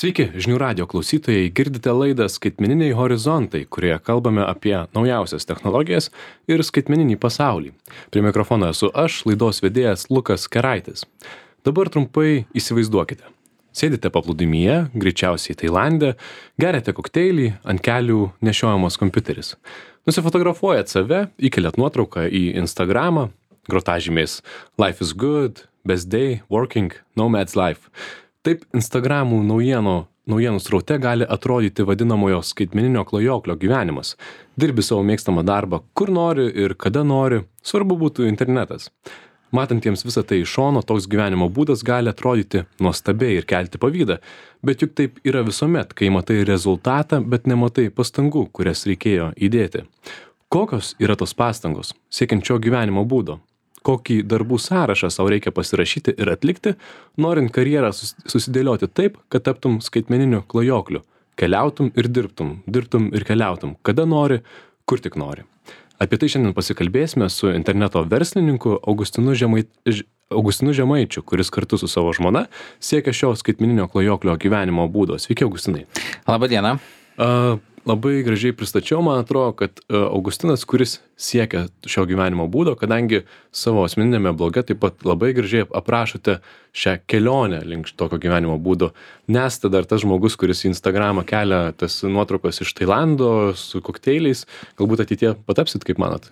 Sveiki, žinių radio klausytojai, girdite laidą Skaitmeniniai horizontai, kurioje kalbame apie naujausias technologijas ir skaitmeninį pasaulį. Prie mikrofono esu aš, laidos vedėjas Lukas Keraitis. Dabar trumpai įsivaizduokite. Sėdite paplūdimyje, greičiausiai Tailande, geriate kokteilį, ant kelių nešiojamas kompiuteris. Nusifotografuojat save, įkeliat nuotrauką į Instagramą, grotažymės Life is good, best day, working, nomad's life. Taip Instagramų naujienų sraute gali atrodyti vadinamojo skaitmeninio klajoklio gyvenimas. Dirbi savo mėgstamą darbą, kur nori ir kada nori, svarbu būtų internetas. Matantiems visą tai iš šono, toks gyvenimo būdas gali atrodyti nuostabiai ir kelti pavydą, bet juk taip yra visuomet, kai matai rezultatą, bet nematai pastangų, kurias reikėjo įdėti. Kokios yra tos pastangos, siekiant šio gyvenimo būdo? Kokį darbų sąrašą savo reikia pasirašyti ir atlikti, norint karjerą susidėlioti taip, kad taptum skaitmeniniu klajokliu. Keliautum ir dirbtum ir keliautum, kada nori, kur tik nori. Apie tai šiandien pasikalbėsime su interneto verslininku Augustinu Žemaičiu, kuris kartu su savo žmona siekia šio skaitmeninio klajoklio gyvenimo būdo. Sveiki, Augustinai. Labą dieną. Labai gražiai pristačiau, man atrodo, kad Augustinas, kuris siekia šio gyvenimo būdo, kadangi savo asmeninėme bloge taip pat labai gražiai aprašote šią kelionę link tokio gyvenimo būdo. Nesate dar tas žmogus, kuris į Instagramą kelia tas nuotraukos iš Tailando su kokteiliais. Galbūt ateityje patapsit, kaip manot?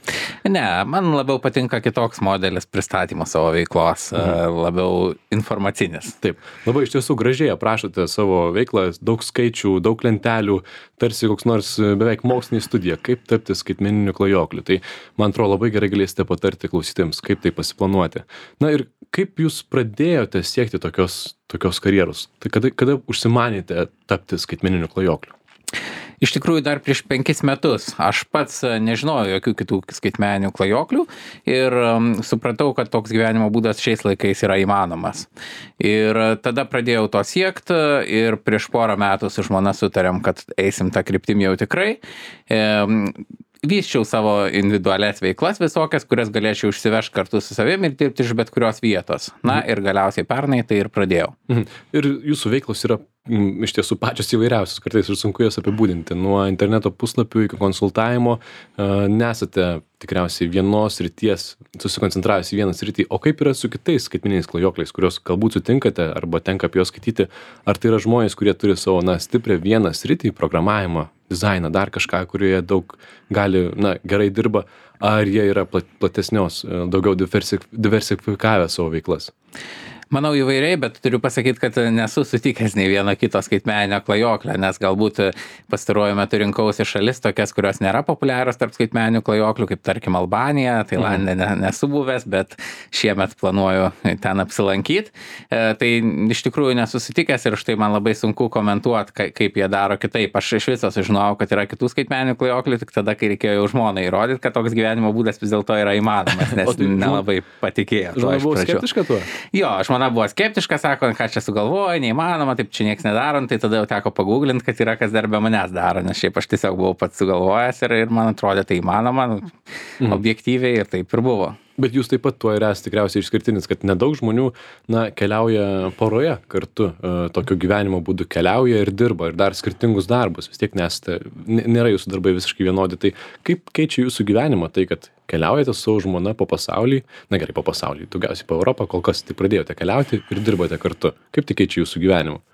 Ne, man labiau patinka kitoks modelis pristatymo savo veiklos, labiau informacinis. Taip, labai iš tiesų gražiai aprašote savo veiklą, daug skaičių, daug lentelių, tarsi koks nors beveik mokslinė studija, kaip tapti skaitmeniniu klajokliu. Tai, man atrodo, labai gerai galėsite patarti klausytėms, kaip tai pasiplanuoti. Na ir kaip jūs pradėjote siekti tokios karjeros? Tai kada užsimanėte tapti skaitmeniniu klajokliu? Iš tikrųjų, dar prieš 5 metus aš pats nežinojau jokių kitų skaitmeninių klajoklių ir supratau, kad toks gyvenimo būdas šiais laikais yra įmanomas. Ir tada pradėjau to siekti ir prieš porą metų su žmona sutarėm, kad eisim tą kryptim jau tikrai. Vysčiau savo individualias veiklas visokias, kurias galėčiau išsivežti kartu su savimi ir dirbti iš bet kurios vietos. Na ir galiausiai pernai tai ir pradėjau. Ir jūsų veiklos yra iš tiesų pačios įvairiausios, kartais ir sunku jas apibūdinti. Nuo interneto puslapių iki konsultavimo nesate tikriausiai vienos srities, susikoncentravęs į vieną sritį. O kaip yra su kitais skaitmeniniais klajokliais, kuriuos galbūt sutinkate arba tenka apie juos skaityti? Ar tai yra žmonės, kurie turi savo stiprią vieną sritį, programavimą, dizainą, dar kažką, kurioje daug gali, gerai dirba, ar jie yra platesnios, daugiau diversifikavę savo veiklas? Manau įvairiai, bet turiu pasakyti, kad nesu sutikęs nei vieno kito skaitmeninio klajoklio, nes galbūt pastaruoju metu rinkausi šalis tokias, kurios nėra populiarios tarp skaitmeninių klajoklių, kaip tarkim Albanija, Tailande nesu buvęs, bet šiemet planuoju ten apsilankyti. Tai iš tikrųjų nesu sutikęs ir štai man labai sunku komentuoti, kaip jie daro kitaip. Aš iš viso sužinojau, kad yra kitų skaitmeninių klajoklių, tik tada, kai reikėjo jau žmonai įrodyti, kad toks gyvenimo būdas vis dėlto yra įmanomas, nes nelabai patikėjo. Žmona buvo skeptiška tuo? Jo, buvo skeptiška, sako, ką čia sugalvoja, neįmanoma, taip čia nieks nedaro, tai tada jau teko paguglinti, kad yra kas dar be manęs daro, nes šiaip aš tiesiog buvau pats sugalvojęs ir man atrodė tai įmanoma, objektyviai ir taip ir buvo. Bet jūs taip pat tuo ir esate tikriausiai išskirtinis, kad nedaug žmonių keliauja poroje kartu, tokio gyvenimo būdu keliauja ir dirba ir dar skirtingus darbus, vis tiek nėra jūsų darbai visiškai vienodi. Tai kaip keičia jūsų gyvenimą tai, kad keliaujate su savo žmona po pasaulį, gerai po pasaulį, daugiausiai po Europą, kol kas tai pradėjote keliauti ir dirbate kartu. Kaip tai keičia jūsų gyvenimą?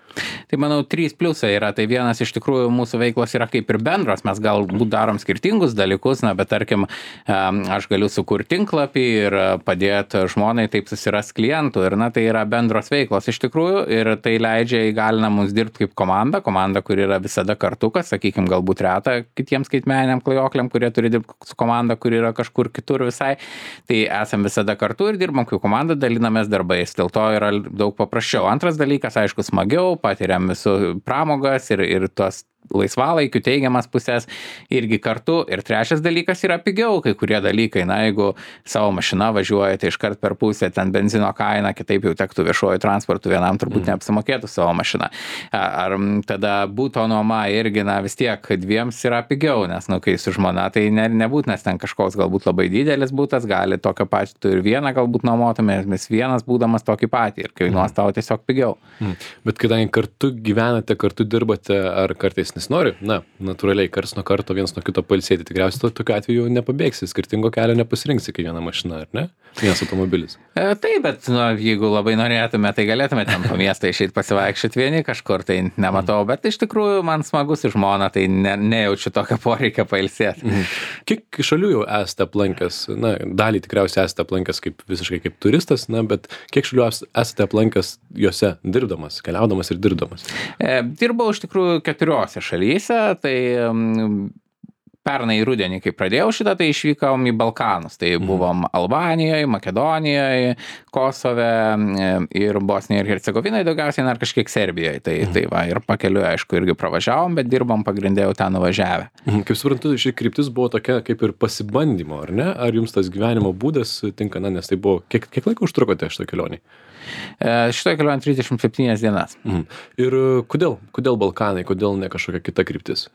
Tai manau, 3 pliusai yra. Tai vienas iš tikrųjų mūsų veiklos yra kaip ir bendros. Mes galbūt darom skirtingus dalykus, bet tarkim, aš galiu sukurti tinklapį ir padėti žmonai taip susiras klientų. Ir tai yra bendros veiklos iš tikrųjų ir tai leidžia įgalina mums dirbti kaip komanda, kuri yra visada kartu, kas, sakykime, galbūt reta kitiems skaitmeniniam klajokliam, kurie turi dirbti su komanda, kuri yra kažkur kitur visai. Tai esam visada kartu ir dirbam kaip komanda, dalinamės darbais. Dėl to yra daug paprasčiau. Antras dalykas, aišku, smagiau, patiriam visų pramogas ir tos laisvalaikių teigiamas pusės irgi kartu. Ir trečias dalykas yra pigiau kai kurie dalykai. Na, jeigu savo mašina važiuoja, tai iškart per pusę ten benzino kaina, kitaip jau tektų viešuoju transportu, vienam turbūt neapsimokėtų savo mašiną. Ar tada būto nuoma irgi, na, vis tiek dviems yra pigiau, nes, nu, kai su žmona, tai nebūtinas ten kažkoks galbūt labai didelis būtas, gali tokio pačio, tu ir vieną galbūt nuomotumės, vienas būdamas tokį patį ir kainuos tau tiesiog pigiau. Bet kadangi kartu gyvenate, kartu dirbate, ar kartais nesinori, na, natūraliai, karts nuo karto vienas nuo kito pailsėti, tikriausiai tokiu atveju nepabėgsi, skirtingo kelio nepasirinksi kiekvieną mašiną, ar ne? Vienas automobilis. Taip, bet nu, jeigu labai norėtume, tai galėtume ten po miestą išeiti pasivaikščioti vieni kažkur, tai nematau, bet iš tikrųjų man smagu su žmona, tai nejaučiu tokio poreikio pailsėti. Kiek šalių jau esate aplankęs? Na, dalį tikriausiai esate aplankęs visiškai kaip turistas, na, bet kiek šalių esate aplankęs juose dirbdamas, keliaudamas ir dirbdamas? Dirbau iš tikrųjų 4 šalyse, tai pernai rudenį, kai pradėjau šitą, tai išvykom į Balkanus. Tai buvom Albanijoje, Makedonijoje, Kosove ir Bosnijoje ir Hercegovinoje, daugiausiai ir kažkiek Serbijoje. Tai va, ir pakeliu, aišku, irgi pravažiavom, bet dirbom pagrindė jau ten nuvažiavę. Kaip suprantu, ši kryptis buvo tokia kaip ir pasibandymo, ar ne? Ar jums tas gyvenimo būdas tinka, na, nes tai buvo, kiek laiko užtrukote šitą kelionį? Šitą kelionę 37 dienas. Ir kodėl Balkanai, kodėl ne kažkokia kita kryptis?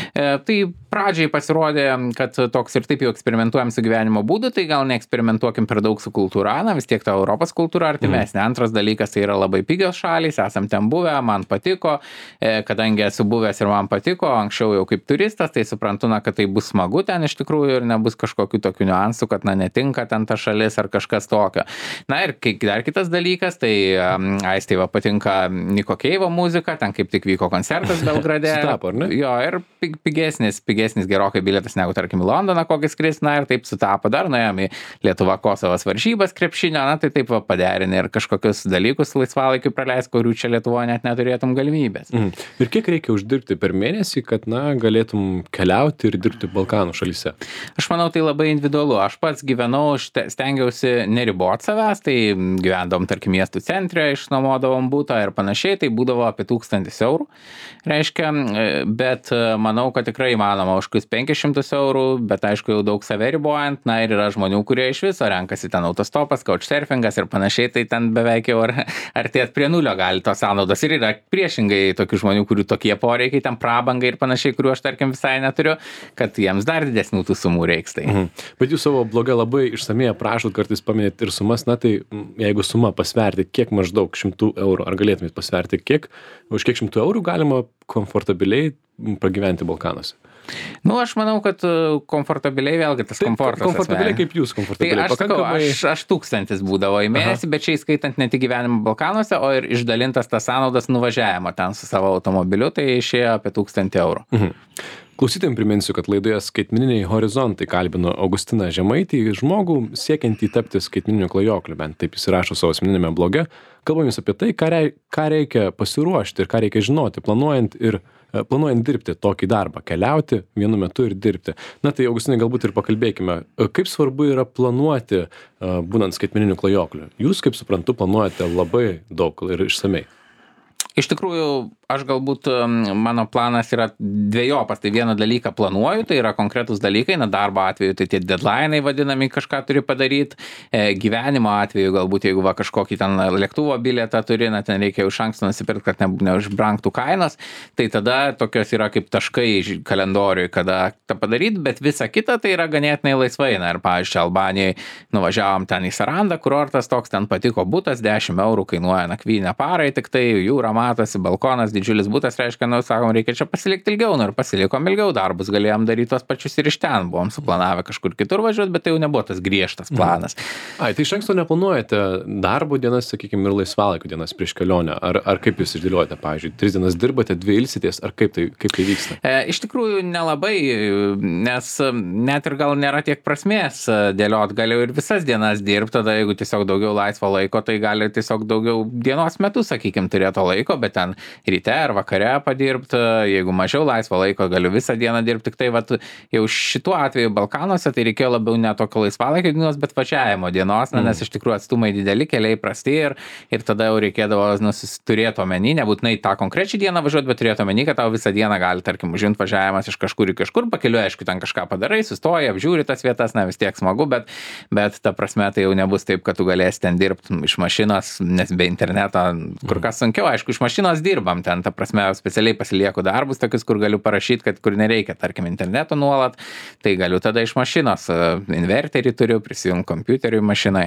Tai pradžiai pasirodė, kad toks ir taip jau eksperimentuojam su gyvenimo būdu, tai gal neeksperimentuokim per daug su kultūra, na vis tiek ta Europos kultūra artimesnė. Antras dalykas, tai yra labai pigios šalys, esam ten buvę, man patiko, kadangi esu buvęs ir man patiko, anksčiau jau kaip turistas, tai suprantu, na, kad tai bus smagu ten iš tikrųjų ir nebus kažkokių tokių niuansų, kad, na, netinka ten ta šalis ar kažkas tokio. Na ir dar kitas dalykas, tai Aistei va patinka Niko Keivo muzika, ten kaip tik vyko koncertas Belgrade. Sutapo, ar ne? Jo, ir pigesnis gerokai bilietas negu, tarkim, į Londoną kokį skris, na ir taip sutapo, dar nuėjom į Lietuva Kosovas varžybas krepšinio, na tai taip va paderini ir kažkokius dalykus laisvalaikiu praleis, kurių čia Lietuvoje net neturėtum galimybės. Ir kiek reikia uždirbti per mėnesį, kad, na, galėtum keliauti ir dirbti Balkanų šalyse? Aš manau, tai labai individualu. Aš pats gyvenau, stengiausi neribot savęs, tai gyvendom, tarkim, miestų centre, išnuomodavom butą ir panašiai, tai būdavo apie 1000 eurų. Reiškia, bet manau, kad tikrai įmanoma už 500 eurų, bet aišku jau daug save ribojant, na ir yra žmonių, kurie iš viso renkasi ten autostopas, couchsurfingas ir panašiai, tai ten beveik jau artėt prie nulio gali tos sąnaudos. Ir yra priešingai tokių žmonių, kurių tokie poreikiai, ten prabangai ir panašiai, kuriuo aš tarkim visai neturiu, kad jiems dar didesnių tų sumų reiks. Tai. Bet jūs savo bloge labai išsamei aprašot, kartais paminėt ir sumas, na tai jeigu suma pasverti, kiek maždaug 100 eurų, ar galėtumėt pasverti, už kiek 100 eurų galima komfortabiliai pragyventi Balkanuose? Nu, aš manau, kad komfortabiliai vėlgi tas komfortas. Komfortabiliai kaip jūs komfortabiliai? Tai aš 1000 būdavo į mėnesį, bet čia įskaitant ne tik gyvenimą Balkanuose, o ir išdalintas tas sąnaudas nuvažiavimo ten su savo automobiliu, tai išėjo apie 1000 eurų. Klausytojams priminsiu, kad laidoje Skaitmeniniai horizontai kalbino Augustiną Žemaitį, žmogų siekiantį tapti skaitmeniniu klajokliu, bent taip jis rašo savo asmeniniame bloge. Kalbamės apie tai, ką reikia pasiruošti ir ką reikia žinoti, planuojant dirbti tokį darbą, keliauti vienu metu ir dirbti. Na tai, Augustinai, galbūt ir pakalbėkime, kaip svarbu yra planuoti, būnant skaitmeniniu klajokliu. Jūs, kaip suprantu, planuojate labai daug ir išsamei. Iš tikrųjų, aš galbūt, mano planas yra dvejopas, tai vieną dalyką planuoju, tai yra konkretus dalykai, na darbo atveju tai tie deadline'ai vadinami, kažką turi padaryti, gyvenimo atveju galbūt, jeigu va kažkokį ten lėktuvo bilietą turi, na ten reikia iš anksto nusipirkti, kad neužbrangtų kainos, tai tada tokios yra kaip taškai kalendoriui, kada tą padaryti, bet visa kita tai yra ganėtinai laisvai, na ir pavyzdžiui, Albanijoje nuvažiavom ten į Sarandą, kurortas toks, ten patiko butas, 10 eurų kainuoja nakvynę parai, tik tai jūra matosi, balkonas, didžiulis butas, reiškia, nu, sakom, reikia čia pasilikti ilgiau, nu ir pasilikom ilgiau, darbus galėjom daryti tos pačius ir iš ten, buvom suplanavę kažkur kitur važiuoti, bet tai jau nebuvo tas griežtas planas. Tai iš anksto neplanuojate darbo dienas, sakykime, ir laisvalaikio dienas prieš kelionę, ar kaip jūs išdėliojate, pavyzdžiui, 3 dienas dirbate, 2 ilsitės, ar kaip tai vyksta? Iš tikrųjų nelabai, nes net ir gal nėra tiek prasmės dėliot, galiu ir visas dienas dirbti, tada jeigu tiesiog daugiau laisvo laiko, tai gali tiesiog daugiau dienos metu, sakykime, turėti laiko. laiko, bet ten ryte ar vakare padirbti, jeigu mažiau laisvo laiko, galiu visą dieną dirbti. Tik tai vat, jau šituo atveju Balkanuose tai reikėjo labiau ne tokio laisvalaikio dienos, bet važiavimo dienos, nes iš tikrųjų atstumai dideli, keliai prasti ir tada jau reikėdavo turėti omeny, nebūtinai tą konkrečią dieną važiuoti, bet turėti omeny, kad tau visą dieną gali, tarkim, užimti važiavimas iš kažkur į kažkur, pakeliu, aišku, ten kažką padarai, sustoji, apžiūri tas vietas, vis tiek smagu, bet ta prasme tai jau nebus taip, kad tu galėsi ten dirbti iš mašinos, nes be interneto kur kas sunkiau, aišku, iš mašinos dirbam ten, ta prasme, specialiai pasilieku darbus tokius, kur galiu parašyti, kad kur nereikia, tarkim, interneto nuolat, tai galiu tada iš mašinos, inverterį turiu, prisijungti kompiuteriui mašinai.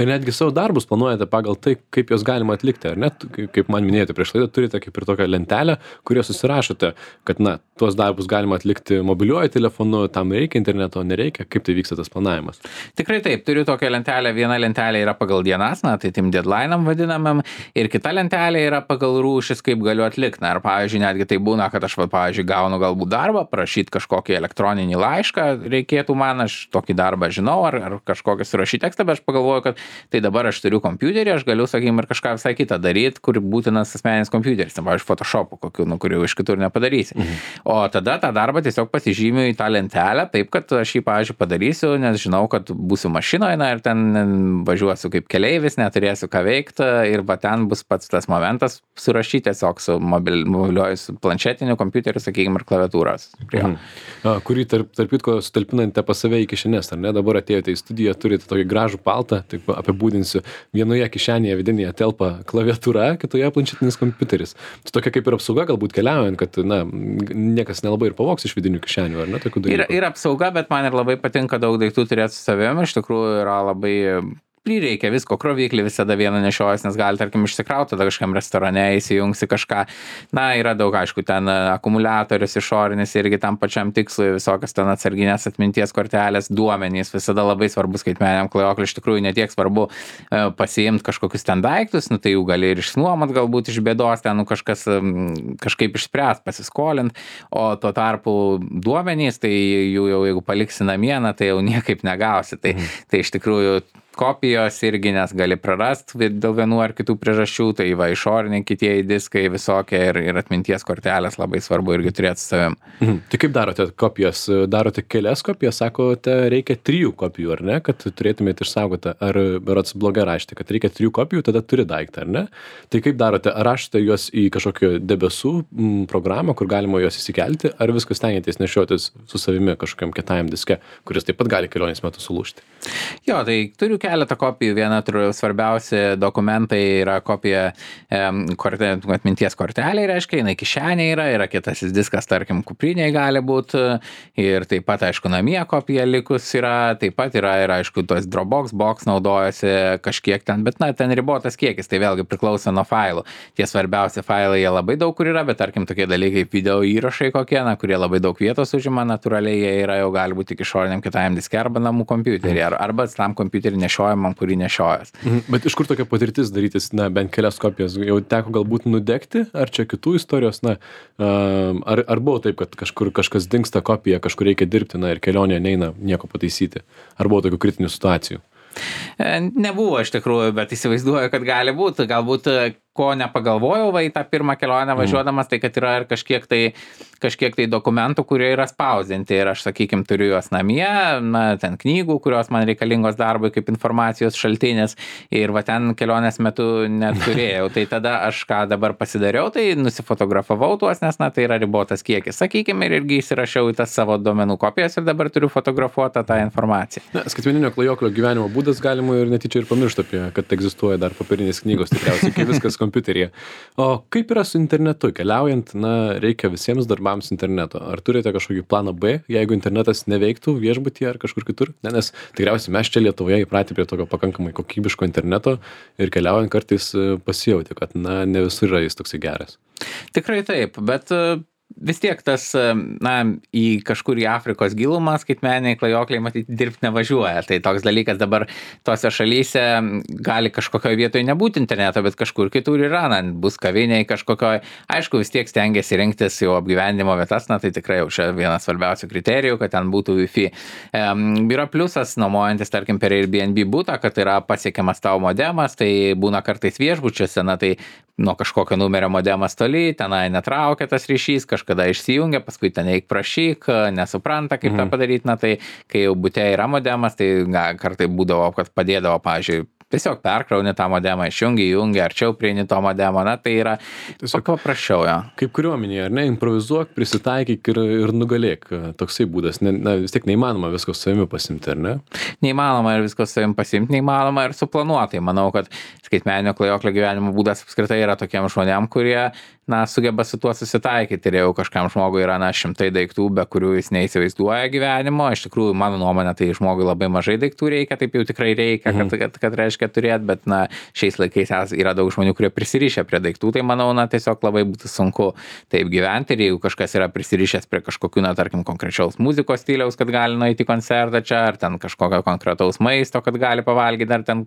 Ir netgi savo darbus planuojate pagal tai, kaip juos galima atlikti, ar ne? Kaip man minėjote prieš laidą, turite kaip ir tokią lentelę, kurioje susirašote, kad, tuos darbus galima atlikti mobiliuoju telefonu, tam reikia interneto, nereikia, kaip tai vyksta tas planavimas? Tikrai taip, turiu tokią lentelę, viena lentelė yra pagal dienas, tai tim deadline'am vadinamam, ir kita lentelė yra pagal rūšis, kaip galiu atlikti. Ir pavyzdžiui, netgi tai būna, kad aš, pavyzdžiui, gaunu galbūt darbą, prašyti kažkokį elektroninį laišką, reikėtų man, aš tokį darbą žinau, ar kažkokį surašyti tekstą, bet aš pagalvoju, kad tai dabar aš turiu kompiuterį, aš galiu, sakykime, ir kažką visai kitą daryti, kur būtinas asmeninis kompiuteris, pavyzdžiui, Photoshop'u kokiu, kurių iš kitur nepadarysi. O tada tą darbą tiesiog pasižymiu į tą lentelę, taip, kad aš jį, pavyzdžiui, padarysiu, nes žinau, kad būsiu mašinoje ir ten važiuosiu kaip keleivis, neturėsiu ką veikti ir ten bus pats tas momentas surašyti tiesiog su mobiliuoju, su planšetiniu kompiuteriu, sakykime, ir klaviatūros. Kurį tarp kitko sutalpinate pas save į kišenės, ar ne? Dabar atėjote į studiją, turite tokį gražų paltą, taip apibūdinsiu, vienoje kišenėje vidinėje telpa klaviatūra, kitoje planšetinis kompiuteris. Tai tokia kaip ir apsauga galbūt keliaujant, kad niekas nelabai ir pavogs iš vidinių kišenių, ar ne, tokių dalykų? Ir apsauga, bet man ir labai patinka daug daiktų turėti su savimi, iš tikrųjų yra labai prireikia visko, kroviklį visada vieną nešiojas, nes gali, tarkim, išsikrauti, tada kažkam restorane įsijungsi kažką. Yra daug, aišku, ten akumuliatorius išorinis irgi tam pačiam tikslui, visokios ten atsarginės atminties kortelės, duomenys, visada labai svarbu skaitmeniniam klajokliui, iš tikrųjų netiek svarbu pasiimti kažkokius ten daiktus, tai jų gali ir išnuomot galbūt iš bėdos, ten kažkas kažkaip išspręs, pasiskolint, o tuo tarpu duomenys, tai jų jau jeigu paliksi namie, tai jau niekaip negausi. Tai iš tikrųjų kopijos irgi, nes gali prarasti dėl vienų ar kitų priežasčių, tai išoriniai kitieji diskai visokie ir atminties kortelės labai svarbu irgi turėti su savim. Tai kaip darote kopijas? Darote kelias kopijas, sakote, reikia 3 kopijų, ar ne, kad turėtumėte išsaugoti, ar berods blogai rašyti, kad reikia 3 kopijų, tada turi daiktą, ar ne? Tai kaip darote? Ar rašote juos į kažkokią debesų programą, kur galima juos įsikelti, ar viskas stengiatės nešiotis su savimi kažkokiam kietajam diske, kuris taip pat gali kelionės metu sulūžti? Jo, tai turiu keletą kopijų. Viena svarbiausi dokumentai yra kopija atminties kortelė, reiškia, jinai kišenė yra kitasis diskas, tarkim, kupriniai gali būti, ir taip pat, aišku, namie kopija likus yra, taip pat yra ir, aišku, tos Dropbox box naudojasi kažkiek ten, bet, ten ribotas kiekis, tai vėlgi priklauso nuo failų. Tie svarbiausi failai, jie labai daug kur yra, bet, tarkim, tokie dalykai kaip video įrašai kokie, kurie labai daug vietos užima, natūraliai jie yra jau gali būti tik išoriniam kitajam diske arba namų kompiuterį, arba tam kompiuterį nešiojamam, kurį nešiojas. Bet iš kur tokia patirtis darytis, bent kelias kopijas? Jau teko galbūt nudegti, ar čia kitų istorijos, ar buvo taip, kad kažkas dingsta kopija, kažkur reikia dirbti, ir kelionė neina nieko pataisyti? Ar buvo tokių kritinių situacijų? Nebuvo iš tikrųjų, bet įsivaizduoju, kad gali būti. Galbūt ko nepagalvojau į tą pirmą kelionę važiuodamas, tai kad yra ir kažkiek tai dokumentų, kurie yra spausdinti ir aš, sakykime, turiu juos namie, ten knygų, kurios man reikalingos darbui kaip informacijos šaltinis ir ten kelionės metu neturėjau. Tai tada aš ką dabar pasidariau, tai nusifotografavau tuos, nes tai yra ribotas kiekis, sakykime, ir irgi įsirašiau į tas savo duomenų kopijas ir dabar turiu fotografuotą tą informaciją. Skaitmeninio klajoklio gyvenimo būdas galima ir netyčia ir pamiršti apie, kad egzistuoja dar popierinės knygos, tikriausiai, kai viskas kompiuteryje. O kaip yra su internetu? Keliaujant, reikia visiems darbams interneto. Ar turite kažkokį planą B, jeigu internetas neveiktų viešbutyje ar kažkur kitur? Nes tikriausiai mes čia Lietuvoje įpratę prie tokio pakankamai kokybiško interneto ir keliaujant kartais pasijauti, kad ne visur yra jis toksai geras. Tikrai taip, bet vis tiek tas, na, į kažkur į Afrikos gilumą skaitmeniniai klajokliai matyti dirbti nevažiuoja. Tai toks dalykas dabar tose šalyse gali kažkokioje vietoje nebūti interneto, bet kažkur kitur yra, na, bus kaviniai kažkokioje. Aišku, vis tiek stengiasi rinktis jau apgyvendimo vietas, na, tai tikrai jau čia vienas svarbiausių kriterijų, kad ten būtų Wi-Fi. Yra pliusas, nuomojantis, tarkim, per Airbnb būtą, kad yra pasiekiamas tavo modemas, tai būna kartais viešbučiuose, na, tai nuo kažkokio numerio modemas toli, tenai netraukia tas ryšys, kažkada išsijungia, paskui ten eik prašyk, nesupranta, kaip tą padaryti, na, tai kai jau bute yra modemas, tai kartai būdavo, kad padėdavo, pavyzdžiui, tiesiog perkrauni tą modemą, įjungi, arčiau prieini to modemo, na, tai yra tiesiog paprasčiau, jo. Kaip kariuomenėje, ar ne, improvizuok, prisitaikyk ir nugalėk. Toksai būdas, na, vis tiek neįmanoma visko su savimi pasimti, ar ne? Neįmanoma ir visko su savimi pasimti, neįmanoma ir suplanuotai. Manau, kad skaitmeninio klajoklio gyvenimo būdas apskritai yra tokiem žmonėm, kurie, na, sugeba su tuo susitaikyti ir jau kažkam žmogui yra, na, šimtai daiktų, be kurių jis neįsivaizduoja gyvenimo. Iš tikrųjų, mano nuomonė, tai žmogui labai mažai daiktų reikia, taip jau tikrai reikia, kad reiškia turėti, bet, na, šiais laikais yra daug žmonių, kurie prisirišę prie daiktų, tai manau, na, tiesiog labai būtų sunku taip gyventi ir jeigu kažkas yra prisirišęs prie kažkokių, na, tarkim, konkrečiaus muzikos stiliaus, kad gali nueiti į koncertą čia, ar ten kažkokio konkretaus maisto, kad gali pavalgyti, ar ten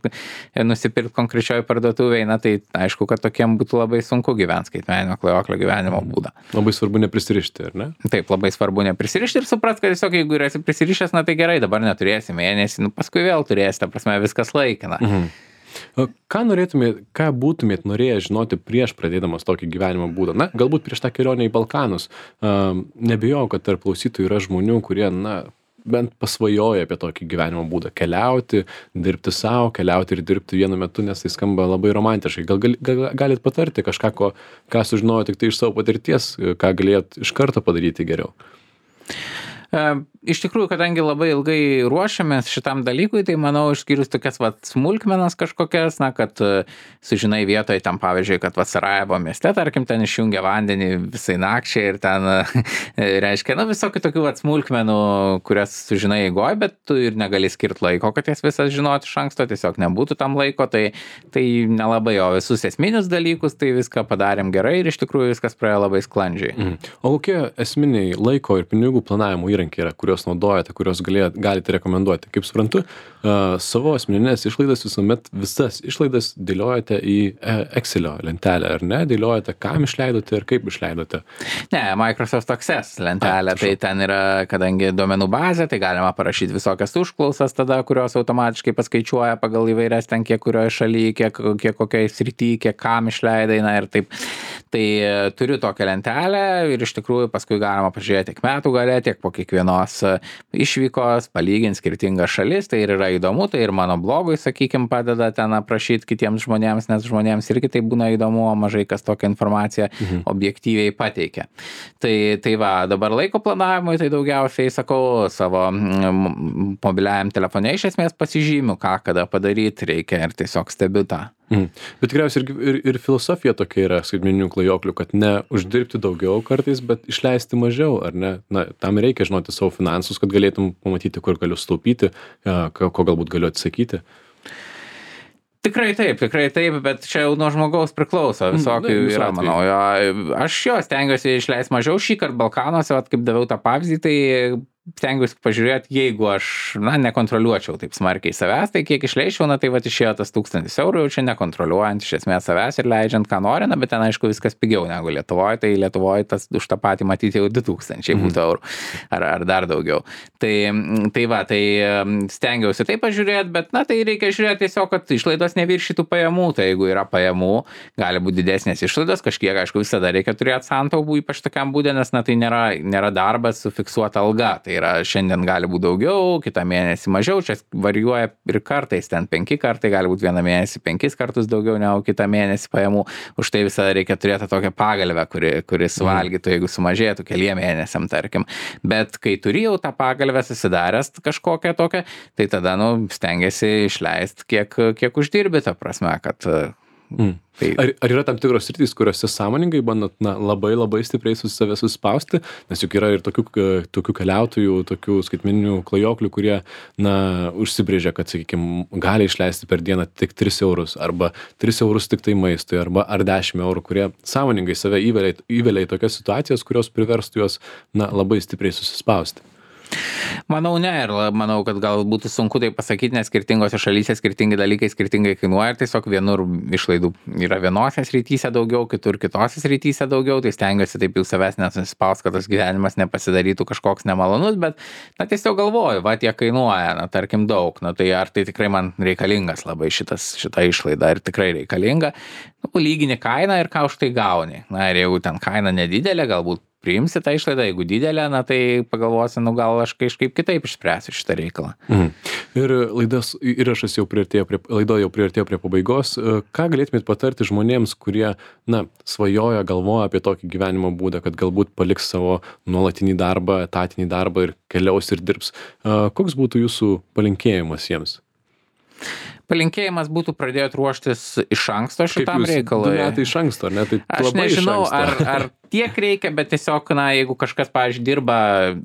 nusipirkti konkrečioje parduotuvėje, na, tai aišku, kad tokiem būtų labai sunku gyventi skaitmeninio klajoklio gyvenimo būdą. Labai svarbu neprisirišti, ar ne? Taip, labai svarbu neprisirišti ir suprast, kad tiesiog jeigu esi prisirišęs, na, tai gerai, dabar neturėsi mėnesį, nu, paskui vėl turėsi, ta prasme, viskas laikina. Ką būtumėt norėję žinoti prieš pradėdamas tokį gyvenimo būdą? Na, galbūt prieš tą kelionę į Balkanus. Nebijau, kad tarp klausytojų yra žmonių, kurie, na, bent pasvajoja apie tokį gyvenimo būdą. Keliauti, dirbti savo, keliauti ir dirbti vienu metu, nes tai skamba labai romantiškai. Gal galit patarti kažką, ką sužinojo tik tai iš savo patirties, ką galėt iš karto padaryti geriau? Iš tikrųjų, kadangi labai ilgai ruošiamės šitam dalykui, tai manau, išskyrus tokias smulkmenas kažkokias, na, kad sužinai vietoje tam, pavyzdžiui, kad Sarajevo mieste, tarkim, ten išjungia vandenį visai nakčiai ir ten, reiškia, na, visokių tokių smulkmenų, kurias sužinai eigoj, bet tu ir negali skirti laiko, kad jas visas žinoti iš anksto, tiesiog nebūtų tam laiko, tai nelabai, o visus esminius dalykus, tai viską padarėm gerai ir iš tikrųjų viskas praėjo labai sklandžiai. O kokie esminiai laiko ir pinigų planavimo įrankiai yra, kuriuos naudojate, kuriuos galite rekomenduoti? Kaip suprantu, savo asmeninės išlaidas visas išlaidas dėliojate į Excelio lentelę, ar ne? Dėliojate, kam išleidote ir kaip išleidote? Ne, Microsoft Access lentelė, tai ten yra, kadangi duomenų bazė, tai galima parašyti visokias užklausas tada, kurios automatiškai paskaičiuoja pagal įvairias ten, kiek kurioje šalyje, kiek kokioje srityje, kiek kam išleidai, na ir taip. Tai turiu tokią lentelę ir iš tikrųjų paskui galima pažiūrėti tiek metų gale, tiek po kiekvienos išvykos, palyginti skirtingas šalis, tai ir yra įdomu, tai ir mano blogui, sakykime, padeda ten aprašyti kitiems žmonėms, nes žmonėms irgi tai būna įdomu, mažai kas tokią informaciją objektyviai pateikia. Tai va, dabar laiko planavimui, tai daugiausiai, sakau, savo mobiliajam telefone iš esmės pasižymiu, ką kada padaryti reikia ir tiesiog stebiu tą. Bet tikriausiai ir filosofija tokia yra skaitmeninių klajoklių, kad ne uždirbti daugiau kartais, bet išleisti mažiau, ar ne? Na, tam reikia žinoti savo finansus, kad galėtum pamatyti, kur galiu sutaupyti, ko galbūt galiu atsisakyti. Tikrai taip, bet čia jau nuo žmogaus priklauso, visokių yra, manau. Aš stengiuosi išleisti mažiau šįkart Balkanuose, kaip daviau tą pavyzdį, tai stengiuosi pažiūrėti, jeigu aš, na, nekontroliuočiau taip smarkiai savęs, tai kiek išleičiau, na, tai va išėjo tas 1000 eurų, jau čia nekontroliuojant iš esmės savęs ir leidžiant, ką nori, na, bet ten, aišku, viskas pigiau negu Lietuvoje, tai Lietuvoje tas už tą patį matyti jau 2000 būtų eurų ar dar daugiau. Tai stengiausi taip pažiūrėti, bet, na, tai reikia žiūrėti tiesiog, kad išlaidos neviršytų pajamų, tai jeigu yra pajamų, gali būti didesnės išlaidos, kažkiek, aišku, visada reikia turėti santaupų, ypač tokiam būdė, nes, na, tai nėra darbas su fiksuota alga. Tai yra šiandien gali būti daugiau, kitą mėnesį mažiau, čia varijuoja ir kartais, ten 5 kartai, gali būti vieną mėnesį 5 kartus daugiau negu kitą mėnesį pajamų, už tai visada reikia turėti tokią pagalvę, kuri suvalgytų, jeigu sumažėtų keliem mėnesiam, tarkim. Bet kai turi jau tą pagalvę susidaręs kažkokią tokią, tai tada, nu, stengiasi išleisti, kiek uždirbi, ta prasme, kad Tai Ar yra tam tikros sritys, kuriuose sąmoningai bandot labai stipriai save suspausti, nes juk yra ir tokių keliautojų, tokių skaitmeninių klajoklių, kurie užsibrėžia, kad, sakykime, gali išleisti per dieną tik 3 eurus, arba 3 eurus tik tai maistui, ar 10 eurų, kurie sąmoningai save įvelia į tokias situacijas, kurios priverstų juos labai stipriai susispausti. Manau, ne, ir manau, kad gal būtų sunku tai pasakyti, nes skirtingose šalyse skirtingi dalykai skirtingai kainuoja ir tiesiog vienur išlaidų yra vienose srityse daugiau, kitur kitose srityse daugiau, tai stengiuosi taip jau savęs nesusispaust, kad tas gyvenimas nepasidarytų kažkoks nemalonus, bet tiesiog galvoju, tiek kainuoja, tarkim daug, tai ar tai tikrai man reikalingas labai šita išlaida, ir tikrai reikalinga, lygini kainą ir ką už tai gauni, ir jeigu ten kaina nedidelė, galbūt priimsi tą išlaidą, jeigu didelė, tai pagalvosi, gal aš kažkaip kitaip išspręsiu šitą reikalą. Ir įrašas jau priartėjo prie pabaigos. Ką galėtumėt patarti žmonėms, kurie, svajoja, galvoja apie tokį gyvenimo būdą, kad galbūt paliks savo nuolatinį darbą, etatinį darbą ir keliaus ir dirbs? Koks būtų jūsų palinkėjimas jiems? Palinkėjimas būtų pradėti ruoštis iš anksto šitam reikalui. 2 metai iš anksto, ar ne? Tai aš nežinau, ar tiek reikia, bet tiesiog, jeigu kažkas, pavyzdžiui, dirba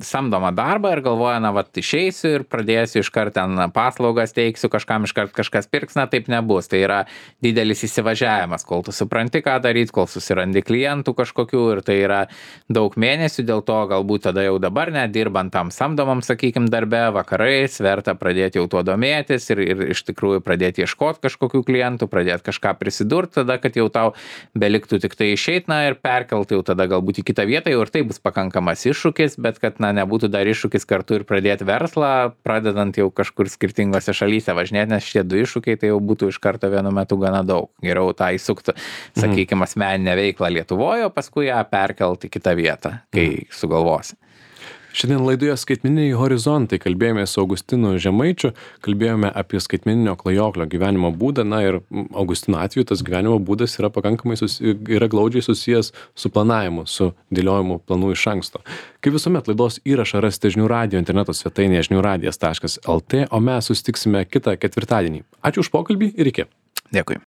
samdomą darbą ir galvoja, išeisiu ir pradėsiu iškart ten paslaugas teiksiu, kažkam iškart kažkas pirks, taip nebus. Tai yra didelis įsivažiavimas, kol tu supranti, ką daryti, kol susirandi klientų kažkokių, ir tai yra daug mėnesių, dėl to galbūt tada jau dabar nedirbant tam samdomam, sakykime, darbe, vakarais verta pradėti jau tuo domėtis ir iš tikrųjų pradėti ieškoti kažkokių klientų, pradėti kažką prisidurti, tada, kad jau tau beliktų tik tai išeiti, ir perkelti jau tada galbūt į kitą vietą, jau ir tai bus pakankamas iššūkis, bet kad nebūtų dar iššūkis kartu ir pradėti verslą, pradedant jau kažkur skirtingose šalyse važinėti, nes šitie 2 iššūkiai tai jau būtų iš karto vienu metu gana daug. Geriau tą įsukti, sakykime, asmeninę veiklą Lietuvoje, o paskui ją perkelti į kitą vietą, kai sugalvosi. Šiandien laidoje Skaitmeniniai horizontai kalbėjome su Augustinu Žemaičiu, kalbėjome apie skaitmeninio klajoklio gyvenimo būdą, ir Augustino atveju tas gyvenimo būdas yra pakankamai yra glaudžiai susijęs su planavimu, su dėliojimu planų iš anksto. Kaip visuomet, laidos įrašą rasite žinių radijo interneto svetainėje žiniųradijas.lt, o mes susitiksime kitą ketvirtadienį. Ačiū už pokalbį ir iki. Dėkui.